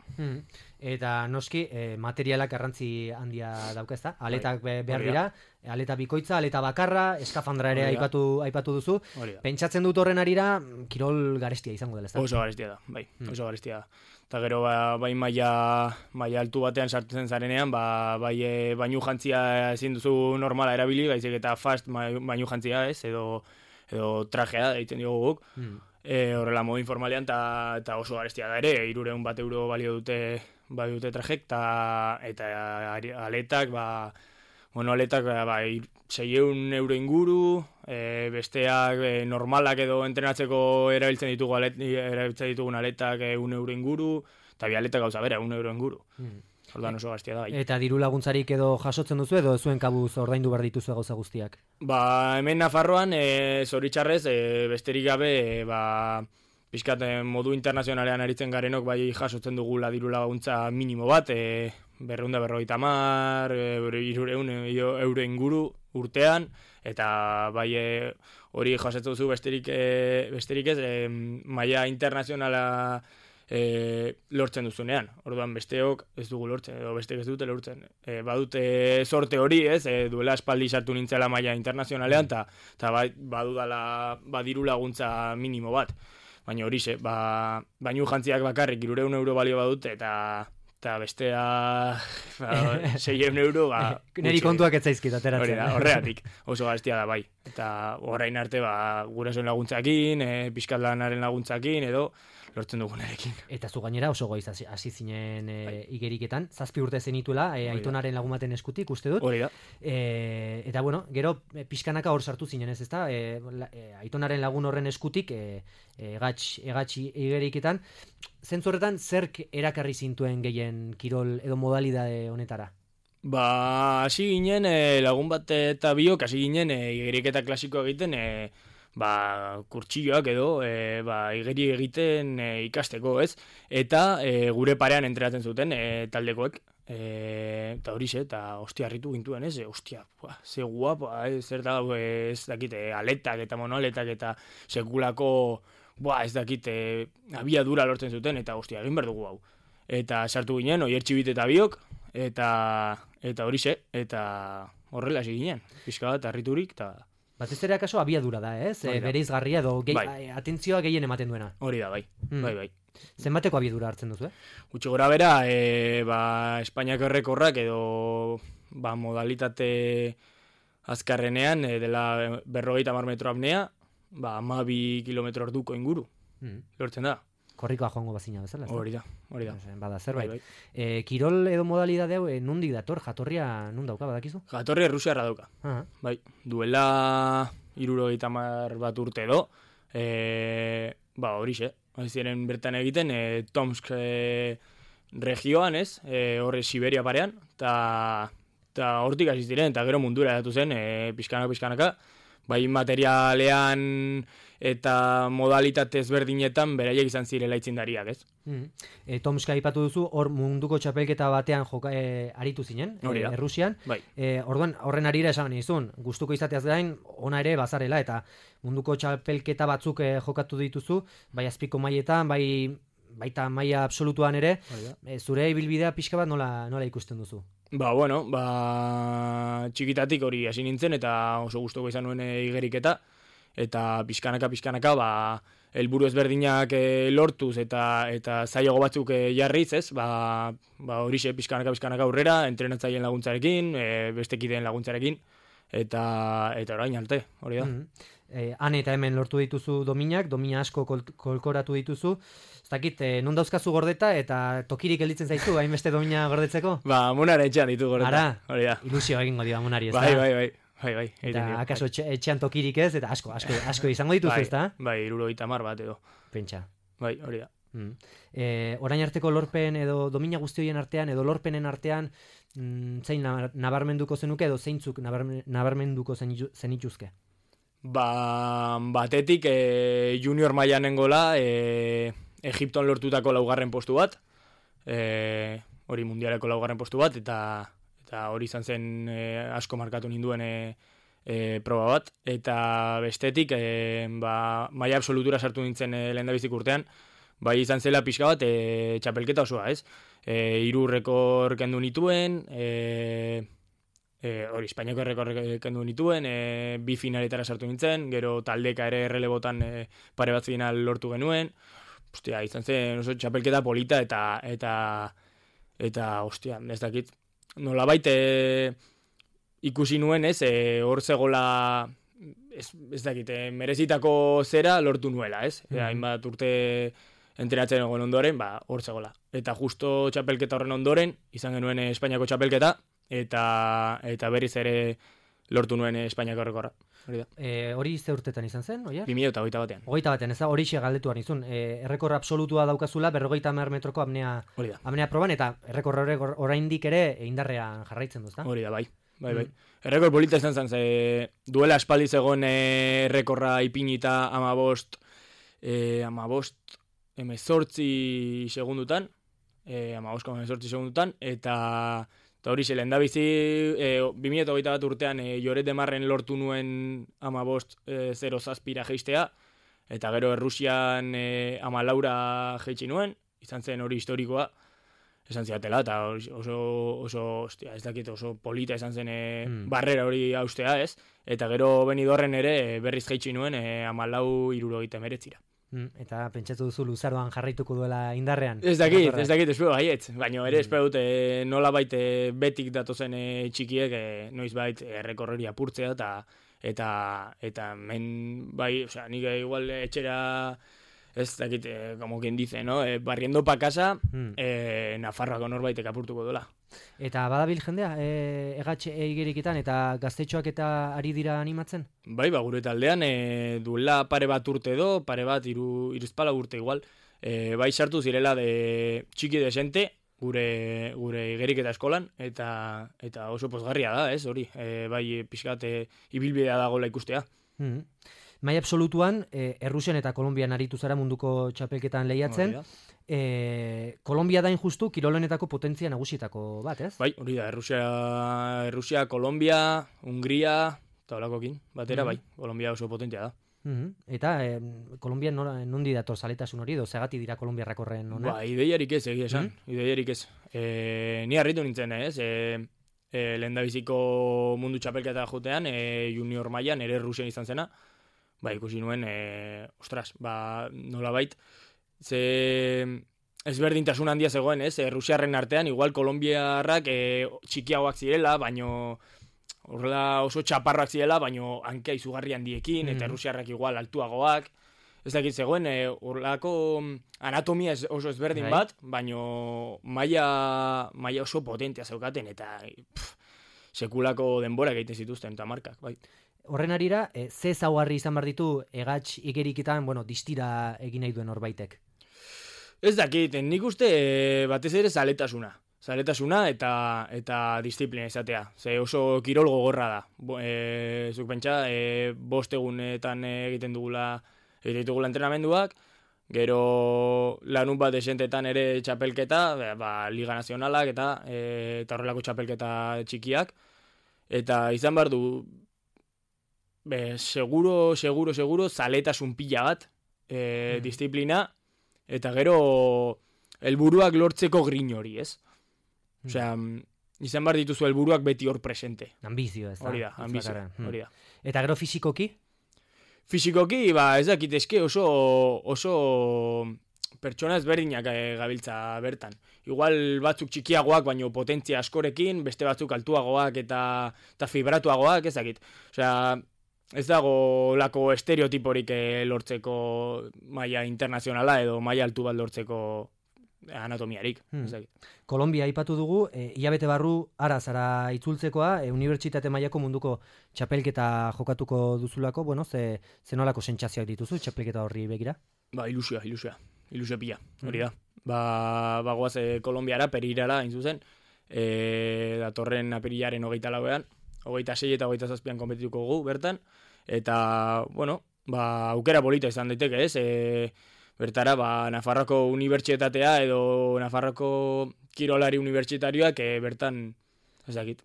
Eta noski, materialak garrantzi handia dauka, ezta? Aletak behar dira, aleta bikoitza, aleta bakarra, eskafandra ere aipatu duzu. Pentsatzen dut horren arira, kirol garestia izango dela, ezta? Oso garestia da, bai, oso garestia da. Eta gero, bai maila altu batean sartzen zarenean, bai bainu jantzia ezin duzu normala erabili, baizik eta fast bainu jantzia ez, edo trajea, egiten diogu guk. Horrela modu informalean, eta oso garestia da ere, €300 balio dute trajek, eta aletak, aletak 600 inguru, besteak normalak edo entrenatzeko erabiltzen ditugun aletak €1 inguru, eta bialetak gauza bera, €1 inguru. Orduan oso garestia da, bai. Eta diru laguntzarik edo jasotzen duzu edo zuen kabuz ordaindu behar dituzu gauza guztiak? Hemen Nafarroan, zoritxarrez, besterik gabe, pixkat modu internazionalean aritzen garenok bai jasotzen dugula diru laguntza minimo bat, 250, €300 inguru urtean, eta bai hori jasotzen duzu besterik ez, maila internazionala lortzen duzunean. Orduan besteok ez dugu lortzen, edo besteek ez dute lortzen. Badute sorte hori, ez, duela espaldi sartu nintzela maila internazionalean, eta badudala diru laguntza minimo bat. Baina horixe, bainu jantziak bakarrik €300 balio badute, eta bestea €600, Neri kontuak ez zaizkit ateratzen. Horregatik, oso garestia da, bai. Eta orain arte, gurasoen laguntzakin, pixkat lanaren laguntzakin, edo lortzen dugunarekin. Eta zu gainera oso goiz hasi zinen igeriketan, 7 urte zenituela, aitonaren lagumaten eskutik, uste dut. Hori da. Eta bueno, gero pixkanaka hor sartu zinen ez, ezta? Aitonaren lagun horren eskutik, egatxi igeriketan, zentzu horretan, zerk erakarri zintuen gehien kirol edo modalidade honetara? Hasi ginen, lagun bat eta biok, hasi ginen igeriketa klasikoa egiten, kurtsilloak edo igeri egiten ikasteko, ez? Eta gure parean entrenatzen zuten taldekoek, eta horixe, eta ostia harritu gintuen, ez? Ostia, ze guapa, zer da, ez dakite, aletak eta monoaletak eta sekulako, ez dakite, abiadura lortzen zuten, eta ostia, egin behar dugu hau. Eta sartu ginen, oiertxibit eta biok, eta horixe, eta horrela hasi ginen, pixka bat harriturik, eta... Batez ere akaso abiadura da, ez? Bereizgarria edo atentzioa gehien ematen duena. Hori da, bai. Bai. Zenbateko abiadura hartzen duzu, Gutxi gora bera, Espainiako errekorrak edo modalitate azkarrenean, dela 50 metro apnea, 12 kilometro orduko inguru. Lortzen da. Korrikoa joango bazina bezala, ez da? Hori da. Bada, zerbait. Kirol edo modalidade hau, nundik dator? Jatorria nun dauka, badakizu? Jatorria Errusiarra dauka. Bai, duela 70 bat urte edo, horixe, ziren bertan egiten, Tomsk regioan, ez? Horre Siberia parean, eta hortik hasi ziren, eta gero mundura datu zen, pixkanaka, bai materialean eta modalitate ezberdinetan beraiek izan zirela aitzindariak, ez? Tomska aipatu duzu, hor munduko txapelketa batean aritu zinen, Errusian. Orduan, horren arira esan nizun, gustuko izateaz gain, ona ere bazarela, eta munduko txapelketa batzuk jokatu dituzu, bai azpiko mailetan, baita maila absolutuan ere, zure ibilbidea pixka bat nola ikusten duzu? Txikitatik hori hasi nintzen, eta oso gustoko izan nuen igeriketa, eta pixkanaka, helburu ezberdinak lortuz eta zailago batzuk jarriz, ez? Horixe pixkanaka aurrera, entrenatzaileen laguntzarekin, bestekideen laguntzarekin, eta orain arte, hori da. Han eta hemen lortu dituzu domina asko kolkoratu dituzu. Ez dakit, non dauzkazu gordeta eta tokirik gelditzen zaizu, hainbeste domina gordetzeko? Monara etxean ditu gordeta. Ara, ilusio egingo dio monari, ez da? Bai. Eta akaso etxean tokirik ez, eta asko izango dituzu, ez da? Bai, 70 bat edo. Pentsa. Bai, hori da. Orain arteko lorpen edo domina guzti horien artean, edo lorpenen artean, zein nabarmenduko zenuke edo zeintzuk nabarmenduko zenituzke? Batetik junior mailan nengola, Egipton lortutako 4. postu bat, hori mundialeko 4. postu bat, eta hori izan zen asko markatu ninduen proba bat, eta bestetik maila absolutura sartu nintzen lehendabizik urtean, bai izan zela pixka bat txapelketa osoa, ez? 3 rekor kendu nituen, hori Espainiako errekor kendu nituen, 2 finaletara sartu nintzen, gero taldeka ere errelebotan pare bat final lortu genuen, ostia, izan zen oso txapelketa polita eta ostia, ez dakit, nolabait ikusi nuen, ez, hor zegola, ez dakit, merezitako zera lortu nuela, ez? Hainbat urte entrenatzen egon ondoren, hor zegola. Eta justo txapelketa horren ondoren, izan genuen Espainiako txapelketa, eta berriz ere lortu nuen Espainiako errekorra. Hori ze urtetan izan zen, oier? 2021 batean. 21 batean, ez da, hori galdetuan izun. Errekor absolutua daukazula 50 metroko apnea proban, eta errekor oraindik ere indarrean jarraitzen duz, da? Hori da, bai. Errekor polita izan zen, ze duela aspaldi zegoen errekorra ipinita 18 segundutan, 18 segundutan, eta hori ze lehendabizi 2021 urtean Joret Demarren lortu nuen 15.07 jeistea, eta gero Errusian 14 jeitsi nuen, izan zen hori historikoa, esan ziatela, eta oso ez dakit, oso polita esan zen barrera hori haustea, ez? Eta gero Benidorren ere berriz jeitsi nuen 14.79. Eta pentsatu duzu luzaroan jarraituko duela indarrean? Ez dakit, espero gaietz, baina ere espero dute nolabait betik datozen txikiek noizbait errekorreri apurtzea, eta men, bai, osea, nik igual etxera, ez dakit, como quien dice, no? Barriendo pa casa, Nafarroako norbaitek apurtuko duela. Eta badabil jendea, egatxe igerikitan eta gaztetxoak eta ari dira animatzen? Bai, gure taldean, duela pare bat urte edo, pare bat iruzpala urte igual, bai sartu zirela de txiki desente, gure igeriketa eskolan, eta oso pozgarria da, ez, hori, bai pixkat ibilbidea dagoela ikustea. Maila absolutuan, Errusian eta Kolonbian aritu zara munduko txapelketan lehiatzen. Kolombia da injustu kirolenetako potentzia nagusietako bat, ez? Bai, hori da, Errusia, Kolombia, Hungria, eta holakokin, batera, bai, Kolombia oso potentia da. Eta Kolombian nondi dator zaletasun hori, edo zegati dira kolombiarrak horren hona? Ba, ideiarik ez, egia esan, ideiarik ez. Ni harritu nintzen, ez? Lehendabiziko mundu txapelketa jotean, junior mailan ere Errusian izan zena, ba, ikusi nuen, nolabait, ze ezberdintasun handia zegoen, ez? Errusiarren artean, igual kolombiarrak txikiagoak zirela, baino horrela oso txaparrak zirela, baino hanka izugarri handiekin, eta errusiarrak igual altuagoak. Ez dakit zegoen, horrelako anatomia oso ezberdin bat, baino maila oso potentea zeukaten, eta sekulako denbora egiten zituzten, eta markak, bai. Horren arira, ze zaugarri izan behar ditu egatx igerikitan, distira egin nahi duen horbaitek? Ez dakit, nik uste batez ere zaletasuna eta disiplina izatea. Ze oso kirol gogorra da. Zuk pentsa, 5 egunetan egiten dugula entrenamenduak, gero lanun bat desentetan ere txapelketa, Liga Nazionalak eta horrelako txapelketa txikiak, eta izan behar du, seguro, zaletasun pila bat, disiplina, eta gero helburuak lortzeko grin hori, ez? Osea, izan behar dituzu helburuak beti hor presente. Ambizio, ez da? Hori da, ambizio, hori da. Eta gero fisikoki? Fisikoki, ez dakit eske oso pertsona ezberdinak gabiltza bertan. Igual batzuk txikiagoak, baino potentzia askorekin, beste batzuk altuagoak eta fibratuagoak, ez dakit. Osea, ez dago lako estereotiporik lortzeko maila internazionala edo maila altu bat lortzeko anatomiarik. Kolombia aipatu dugu, hilabete barru ara zara itzultzekoa, unibertsitate mailako munduko txapelketa jokatuko duzulako, ze nolako sentsazioak dituzu txapelketa horri begira? Ba, ilusioa. ilusio pila, hori da. Bagoaz Kolombiara, Pereirara, hain zuzen, datorren apirilaren 24an, 26 eta 27an konpetituko gu bertan, eta, bueno, aukera polita izan daiteke, ez? Bertara, Nafarroko unibertsitatea edo Nafarroko kirolari unibertsitarioak bertan, ez dakit,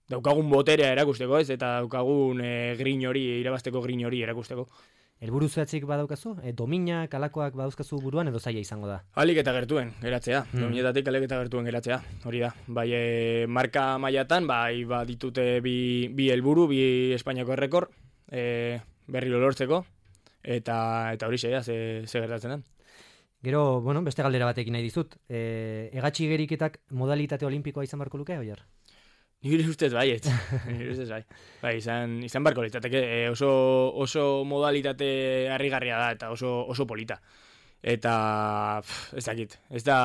daukagun boterea erakusteko, ez? Eta daukagun grin hori, irabazteko grin hori erakusteko. Helburu zehatzik badaukazu? Dominak, alakoak badauzkazu buruan edo zaila izango da? Alik eta gertuen geratzea, dominetatik alik eta gertuen geratzea, hori da. Bai, marka mailatan, ditute bi helburu, bi Espainiako errekor, berriro lortzeko, eta hori zeia, ze gertatzen den. Gero, beste galdera batekin nahi dizut. Hegatxi igeriketak modalitate olimpikoa izan barko luke, oier? Nire ustez bai, Bai, izan barko litzateke, oso modalitate harrigarria da, eta oso polita. Eta, ez dakit, ez da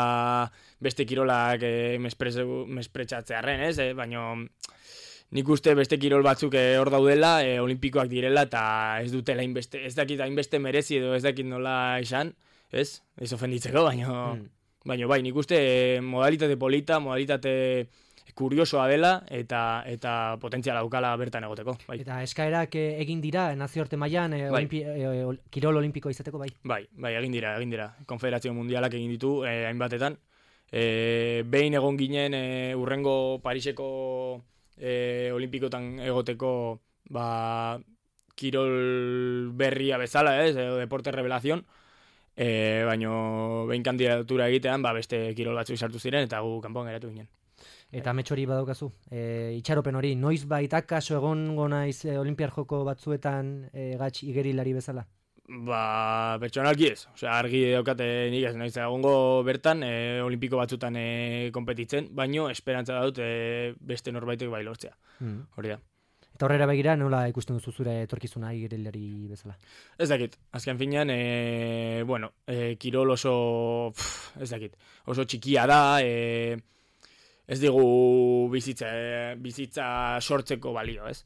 beste kirolak mespretxatzearen, ez? Baina nik uste beste kirol batzuk hor daudela, olimpikoak direla, eta ez dutela hainbeste, ez dakit hainbeste merezi edo ez dakit nola esan, ez? Ez ofenditzeko, baina bai, nik uste modalitate polita, modalitate kuriosoa dela eta potentziala daukala bertan egoteko. Bai. Eta eskaerak egin dira nazioarte mailan kirol olimpikoa izateko, bai? Bai, egin dira. Konfederazio Mundialak egin ditu hainbatetan. Behin egon ginen urrengo Pariseko olimpikotan egoteko kirol berria bezala, deporte revelación, baina behin kandidatura egitean beste kirol batzuk sartu ziren eta gu kanpoan geratu ginen. Eta metxori badaukazu, itxaropen hori, noiz baita kaso egongo naiz olimpiar joko batzuetan gatx igerilari bezala? Pertsonalki ez. Argi daukate nik ez naiz egongo bertan olimpiko batzutan konpetitzen, baino esperantza dut beste norbaitek bai lortzea. Hori da. Eta horrera begira, nola ikusten duzu zure etorkizuna igerilari bezala? Ez dakit. Azken finean, kirol oso, ez dakit, oso txikia da, ez digu bizitza sortzeko balio, ez?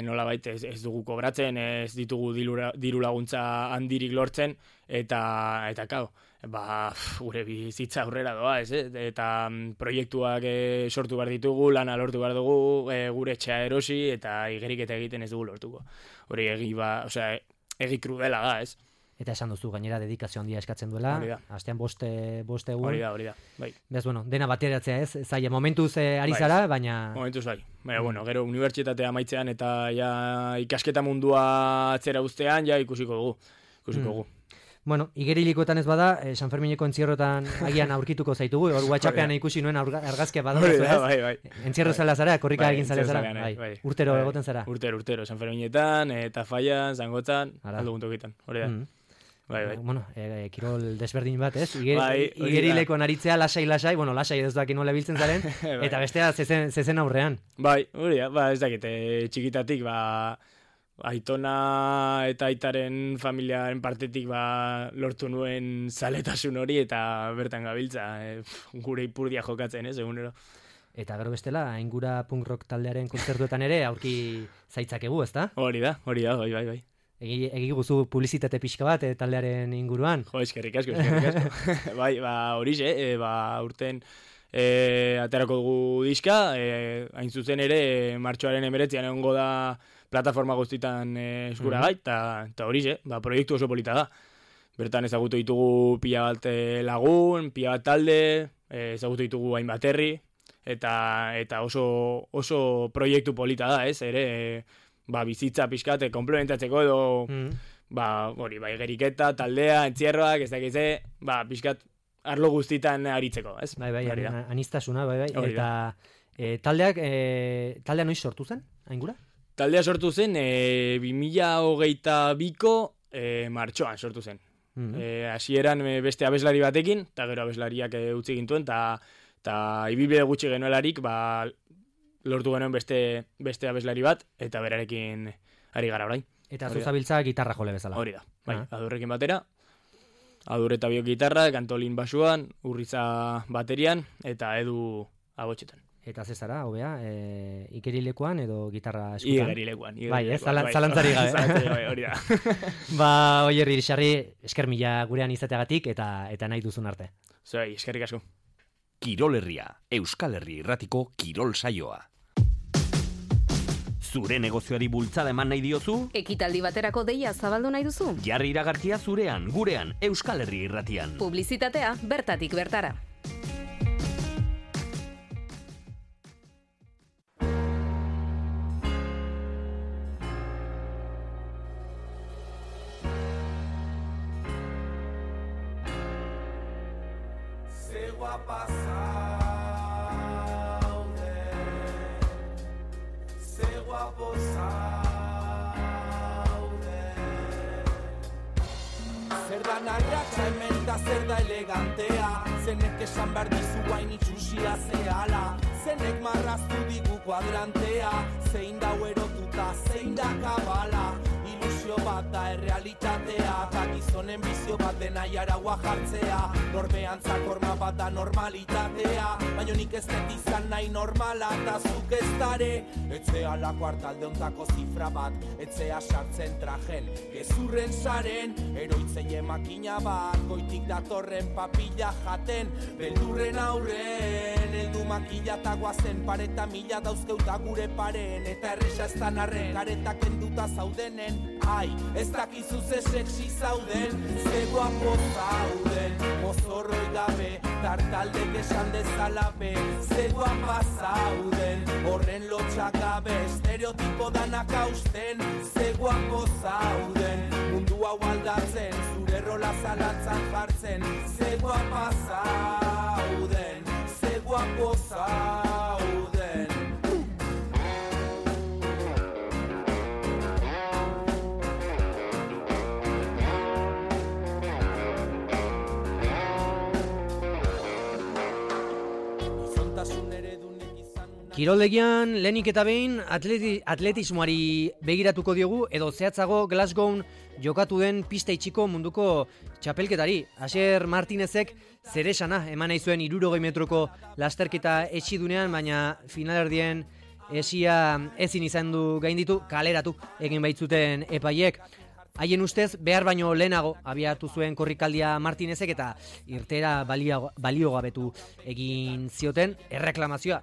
Nolabait ez dugu kobratzen, ez ditugu diru laguntza handirik lortzen, eta kao, gure bizitza aurrera doa, ez? Eta proiektuak sortu behar ditugu, lana lortu behar dugu, gure etxea erosi, eta igeriketa egiten ez dugu lortuko. Hori egi krudela da, ez? Eta esan duzu, gainera dedikazio handia eskatzen duela, astean boste egun. Hori da, bai. Bez, dena bateratzea ez, zaila momentuz ari zara, baina... Momentuz bai. Baina, gero unibertsitatea maitzean eta ikasketa mundua atzera uztean, ikusiko dugu. Igerilikoetan ez bada, San Fermineko entzierrotan agian aurkituko zaitugu, hor WhatsAppean ikusi nuen argazkia badaukazu, ez? Bai. Entzierro zara zara, korrika egin zara zara. Urtero egoten zara. Urtero, San Ferminetan, eta Faian, Zangotzan, aldugun tokitan, hori da. Bai. Kirol desberdin bat, ez? Igerilekoan aritzea lasai, lasai ez daki nola biltzen zaren, eta bestea zezen aurrean. Bai, hori da, ez dakit, txikitatik, aitona eta aitaren familiaren partetik lortu nuen zaletasun hori eta bertan gabiltza, gure ipurdia jokatzen, egunero. Eta gero bestela, Aingura punk rock taldearen kontzertuetan ere aurki zaitzakegu, ezta? Hori da, bai. Egi guzu publizitate pixka bat taldearen inguruan. Jo, eskerrik asko. Bai, horixe, urten aterako dugu diska, hain zuzen ere, martxoaren 19an egongo da plataforma guztitan eskuragai, eta horixe, proiektu oso polita da. Bertan ezagutu ditugu pila bat lagun, pila bat talde, ezagutu ditugu hainbat herri, eta oso proiektu polita da, ez, ere, bizitza pixkat, komplementatzeko edo, geriketa, taldea, entzierroak, ez dakize, pixkat, arlo guztitan aritzeko, ez? Bai, anistasuna, bai. Eta taldea noiz sortu zen, Aingura? Taldea sortu zen 2022ko martxoan sortu zen. Hasieran beste abeslari batekin, eta gero abeslariak utzi gintuen, eta ibilbide gutxi genuelarik, lortu genuen beste abeslari bat, eta berarekin ari gara orain. Eta zuzabiltza gitarra jole bezala. Hori da, bai, Adurrekin batera, Adur eta biok gitarra, Kantolin basuan, Urriza baterian, eta Edu abotxetan. Eta zezara, hobea, ikerilekuan edo gitarra eskutan? Igerilekuan. Bai, zalantzari gabe. Hori da. Ba, Oier Irisarri, esker mila gurean izateagatik eta nahi duzun arte. Zoi, eskerrik asko. Kirol Herria, Euskal Herri irratiko kirol saioa. Zure negozioari bultzada eman nahi diozu? Ekitaldi baterako deia zabaldu nahi duzu? Jarri iragarkia zurean, gurean, Euskal Herri irratian. Publizitatea bertatik bertara. Zer da narratxa hemen da zer da elegantea, zenek esan behar dizu guain itxusia zehala, zenek marraztu digu kuadrantea, zein da erotuta, zein da kabala, ilusio bat da errealitatea, eta gizonen bizio bat dena jaragua jartzea, norbeantzak horma bat da normalitatea, baina nik ez dut izan nahi normala, eta zuk ez dare, etzea lako hartalde ontako zifra bat, etzea sartzen trajen, gezurren saren, eroitzeie makina bat, goitik datorren papilla jaten, beldurren aurren, eldu makila eta guazen, pareta mila dauzkeuta gure paren, eta erresa ez da narren, karetak enduta zaudenen, ai, ez dakizu ze sexy zauden, ze guapo zauden, mozorroi gabe, tartaldek esan dezala be, ze guapa zauden, horren lotxak gabe, estereotipo danak hausten, ze guapo zauden, mundu hau aldatzen, zure rola zalantzan jartzen, ze guapa zauden, ze guapo zauden. Kiroldegian lehenik eta behin atletismoari begiratuko diogu edo zehatzago Glasgown jokatu den pista itxiko munduko txapelketari. Asier Martinezek zeresana eman nahi zuen 60 metroko lasterketa etxidunean, baina finalerdien esia ezin izan du gainditu, kaleratu egin baitzuten epaiek. Haien ustez, behar baino lehenago abiatu zuen korrikaldia Martinezek eta irtera baliogabetu egin zioten erreklamazioa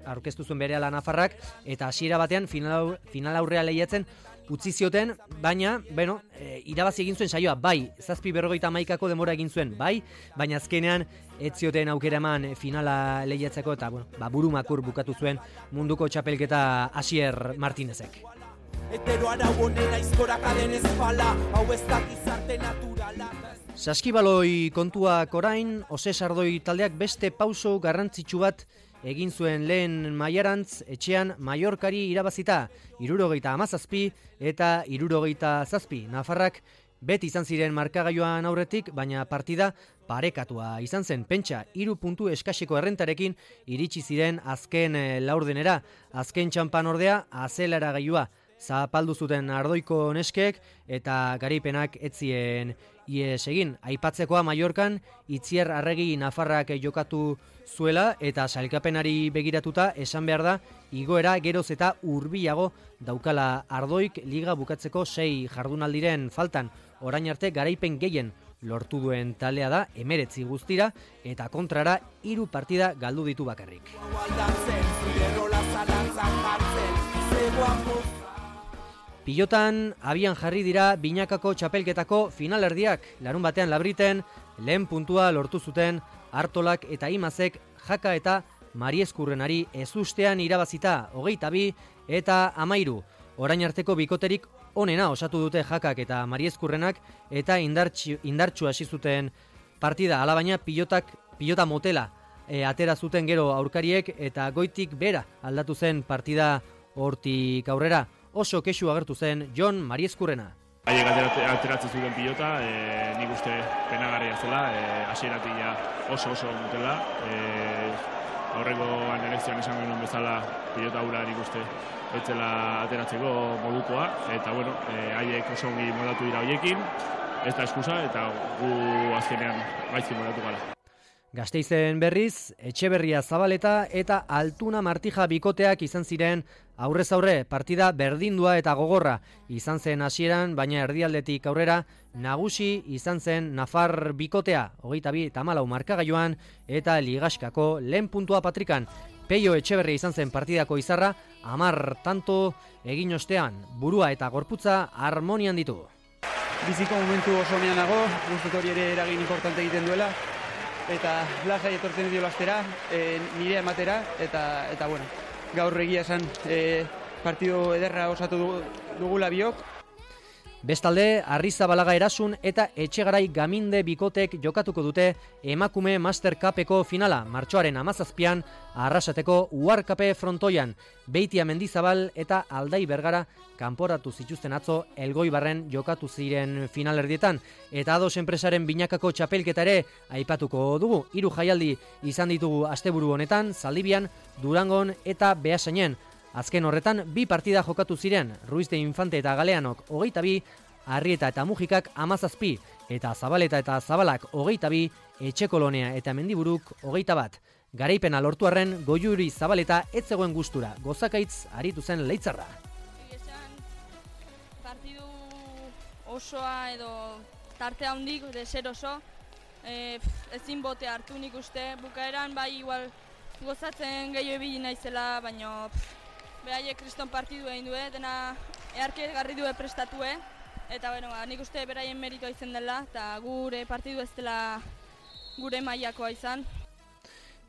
aurkeztu zuen berehala Nafarrak eta hasiera batean final aurrea lehiatzen utzi zioten, baina, irabazi egin zuen saioa, bai, 7:51 denbora egin zuen, bai, baina azkenean ez zioten aukera eman finala lehiatzeko eta, burumakur bukatu zuen munduko txapelketa Asier Martinezek. Etero arau honen aizkorak aden ezpala, hau ez da gizarte naturala. Saskibaloi kontuak orain, Ose Sardoi taldeak beste pauso garrantzitsu bat egin zuen lehen mailarantz etxean Mallorcari irabazita, 77 eta 77. Nafarrak beti izan ziren markagailuan aurretik, baina partida parekatua izan zen. Pentsa, 3 puntu eskaseko errentarekin iritsi ziren azken laurdenera, azken txanpan ordea azelara gailua. Zapaldu zuten Ardoiko neskek eta garaipenak etzien ies egin. Aipatzekoa Mallorcan Itziar Arregi Nafarrak jokatu zuela eta sailkapenari begiratuta esan behar da igoera geroz eta hurbilago daukala Ardoik liga bukatzeko 6 jardunaldiren faltan. Orain arte garaipen gehien lortu duen taldea da 19 guztira eta kontrara 3 partida galdu ditu bakarrik. Pilotan abian jarri dira binakako txapelketako finalerdiak. Larun batean Labriten lehen puntua lortu zuten Artolak eta Imazek Jaka eta Mariezkurrenari ezustean irabazita 22 eta 13. Orain arteko bikoterik onena osatu dute Jakak eta Mariezkurrenak eta indartsu hasi zuten partida. Alabaina pilota motela atera zuten gero aurkariek eta goitik bera aldatu zen partida hortik aurrera. Oso kexu agertu zen Jon Mariezkurrena. Haiek ateratzen zuten pilota, nik uste penagarria zela, hasieratik oso dutela. Aurreko anelekzioan esan genuen bezala pilota hura nik uste etzela ateratzeko modukoa, eta haiek oso ongi modatu dira hoiekin, ez da eskusa, eta gu azkenean gaizki modatu gara. Gasteizen berriz, Etxeberria Zabaleta eta Altuna Martija bikoteak izan ziren aurrez aurre partida berdindua eta gogorra izan zen hasieran, baina erdialdetik aurrera nagusi izan zen Nafar bikotea, 22-14 markagailuan eta Ligaskako lehen puntua patrikan. Peio Etxeberria izan zen partidako izarra, 10 tanto egin ostean, burua eta gorputza harmonian ditu. Biziko momentu oso onean nago, guztot hori ere eragin importante egiten duela, eta lasai etortzen dio lastera, nire ematera, eta bueno, gaur egia esan partido ederra osatu dugula biok. Bestalde, Arrizabalaga Erasun eta Etxegarai Gaminde bikotek jokatuko dute emakume Master Cupeko finala, martxoaren 17an Arrasateko Uharkape frontoian. Beitia Mendizabal eta Aldai Bergara kanporatu zituzten atzo Elgoibarren jokatu ziren finalerdietan. Eta Ados enpresaren binakako txapelketa ere aipatuko dugu. 3 jaialdi izan ditugu asteburu honetan, Zaldibian, Durangon eta Beasainen. Azken horretan, 2 partida jokatu ziren, Ruiz de Infante eta Galeanok 22, Arrieta eta Mujikak 17, eta Zabaleta eta Zabalak 22, Etxekolonea eta Mendiburuk 21. Garaipena lortu arren, Goiuri Zabaleta ez zegoen gustura, gozakaitz aritu zen Leitzarra. Partidu osoa edo tarte handik, deser oso, ezin bote hartu nik uste, bukaeran bai igual gozatzen gehiago ebili naizela, baina behaiek kriston partidu egin due, dena eharke garri due prestatue, eta bueno, nik uste beraien meritoa izan dela, eta gure partidu ez dela gure mailakoa izan.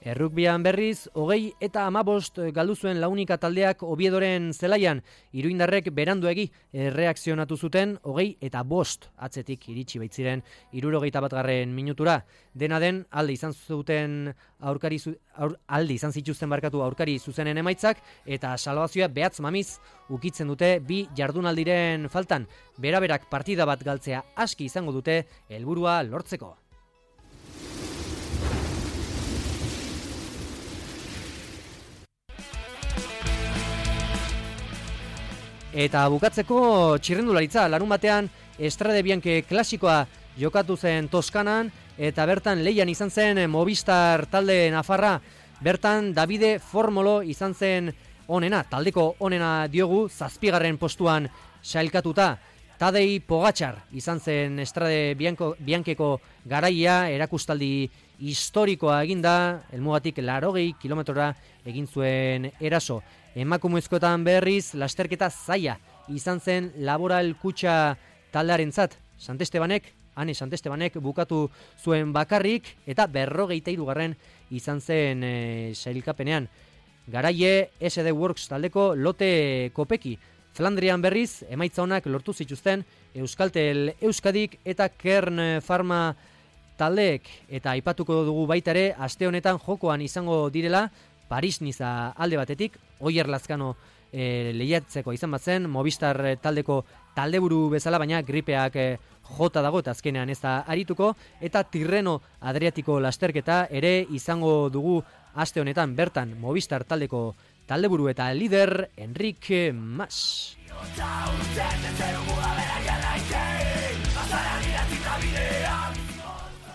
Errukbian berriz, 20 eta 15 galdu zuen Launika taldeak Oviedoren zelaian, iruindarrek beranduegi erreakzionatu zuten 20 eta 5 atzetik iritsi baitziren 71. minutura. Dena den, alde izan zituzten aurkari zuzenen emaitzak, eta salbazioa behatz mamiz ukitzen dute 2 jardunaldiren faltan. Beraberak partida bat galtzea aski izango dute helburua lortzeko. Eta bukatzeko txirrendularitza, larun batean Estrade Bianche klasikoa jokatu zen Toskanan, eta bertan lehian izan zen Movistar talde nafarra, bertan Davide Formolo izan zen onena, taldeko onena diogu, 7. postuan sailkatuta. Tadej Pogačar izan zen Estrade Biancheko garaia, erakustaldi historikoa eginda, helmugatik 80 kilometrora egin zuen eraso. Emakumezkoetan berriz, lasterketa zaila izan zen Laboral Kutxa taldearentzat. Ane Santestebanek bukatu zuen bakarrik, eta 43. izan zen sailkapenean. Garaie SD Works taldeko Lotte Kopeki. Flandrian berriz, emaitza honak lortu zituzten Euskaltel Euskadik eta Kern Pharma taldeek, eta aipatuko dugu baita ere aste honetan jokoan izango direla Paris-Niza alde batetik, Oier Lazkano lehiatzeko izan batzen, Movistar taldeko taldeburu bezala, baina gripeak jota dago eta azkenean ez da arituko, eta Tirreno Adriatiko lasterketa ere izango dugu aste honetan, bertan Movistar taldeko taldeburu eta lider Enrique Mas.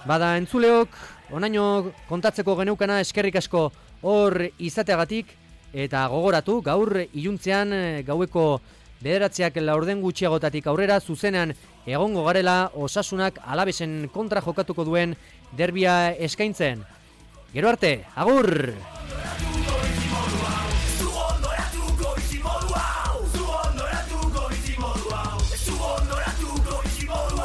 Bada entzuleok, onaino kontatzeko geneukana eskerrik asko hor izateagatik, eta gogoratu gaur iluntzean gaueko 9:00 gutxiagotatik aurrera zuzenean egongo garela Osasunak Alavesen kontra jokatuko duen derbia eskaintzen. Gero arte, agur!